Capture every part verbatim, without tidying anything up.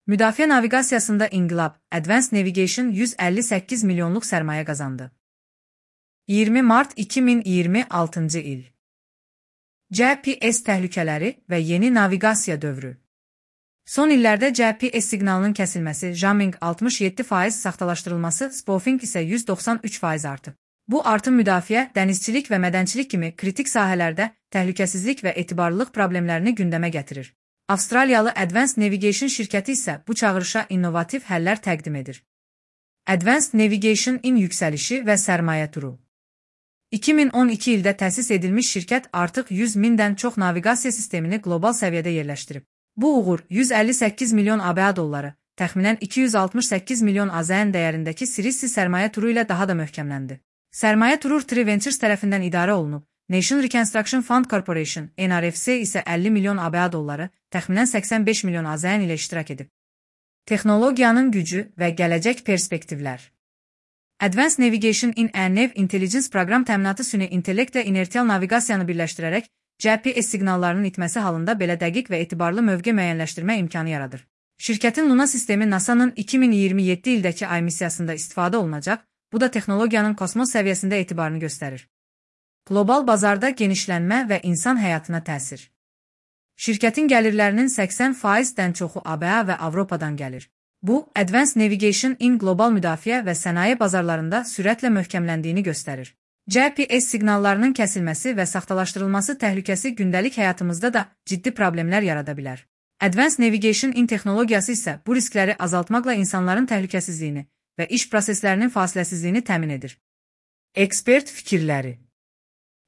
Müdafiə naviqasiyasında inqilab, Advanced Navigation yüz əlli səkkiz milyonluq sərmayə qazandı. iyirmi mart iki min iyirmi altıncı il. G P S təhlükələri və yeni naviqasiya dövrü. Son illərdə G P S siqnalının kəsilməsi, jamming altmış yeddi faiz saxtalaşdırılması, spoofing isə yüz doxsan üç faiz artıb. Bu artım müdafiə, dənizçilik və mədənçilik kimi kritik sahələrdə təhlükəsizlik və etibarlılıq problemlərini gündəmə gətirir. Avstraliyalı Advanced Navigation şirkəti isə bu çağırışa innovativ həllər təqdim edir. Advanced Navigation-in yüksəlişi və sərmayə turu. iki min on iki ildə təsis edilmiş şirkət artıq yüz mindən çox naviqasiya sistemini qlobal səviyyədə yerləşdirib. Bu uğur yüz əlli səkkiz milyon ABA dolları, təxminən iki yüz altmış səkkiz milyon AZN dəyərindəki Sirisi sərmayə turu ilə daha da möhkəmləndi. Sərmayə turu Tree Ventures tərəfindən idarə olunub. Nation Reconstruction Fund Corporation, N R F C isə əlli milyon ABA dolları, təxminən səksən beş milyon AZN ilə iştirak edib. Texnologiyanın gücü və gələcək perspektivlər. Advanced Navigation in a Nav Intelligence proqram təminatı süni intellekt və inertial naviqasiyanı birləşdirərək G P S siqnallarının itməsi halında belə dəqiq və etibarlı mövqe müəyyənləşdirmə imkanı yaradır. Şirkətin Luna sistemi NASA'nın iki min iyirmi yeddi ildəki ay missiyasında istifadə olunacaq, bu da texnologiyanın kosmos səviyyəsində etibarını göstərir. Qlobal bazarda genişlənmə və insan həyatına təsir. Şirkətin gəlirlərinin səksən faizdən çoxu ABA və Avropadan gəlir. Bu, Advanced Navigation-in qlobal müdafiə və sənaye bazarlarında sürətlə möhkəmləndiyini göstərir. G P S siqnallarının kəsilməsi və saxtalaşdırılması təhlükəsi gündəlik həyatımızda da ciddi problemlər yarada bilər. Advanced Navigation-in texnologiyası isə bu riskləri azaltmaqla insanların təhlükəsizliyini və iş proseslərinin fasiləsizliyini təmin edir. Ekspert fikirləri.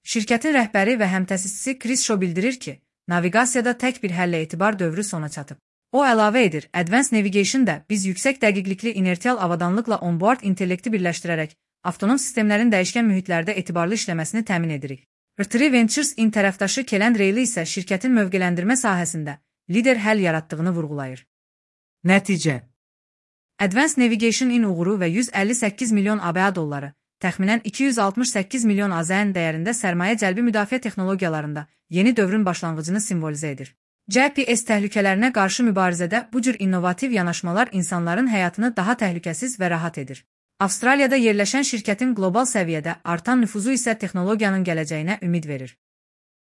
Şirkətin rəhbəri və həmtəsisçisi Chris Shaw bildirir ki, naviqasiyada tək bir həllə etibar dövrü sona çatıb. O əlavə edir, Advanced Navigation-da biz yüksək dəqiqlikli inertial avadanlıqla onboard intellekti birləşdirərək avtonom sistemlərin dəyişkən mühitlərdə etibarlı işləməsini təmin edirik. Tree Ventures-in tərəfdaşı Kellen Rayleigh isə şirkətin mövqeləndirmə sahəsində lider həll yaratdığını vurğulayır. Nəticə. Advanced Navigation-in uğuru və yüz əlli səkkiz milyon ABA dolları, təxminən iki yüz altmış səkkiz milyon AZN dəyərində sərmayə cəlbi müdafiə texnologiyalarında yeni dövrün başlanğıcını simvolizə edir. G P S təhlükələrinə qarşı mübarizədə bu cür innovativ yanaşmalar insanların həyatını daha təhlükəsiz və rahat edir. Avstraliyada yerləşən şirkətin qlobal səviyyədə artan nüfuzu isə texnologiyanın gələcəyinə ümid verir.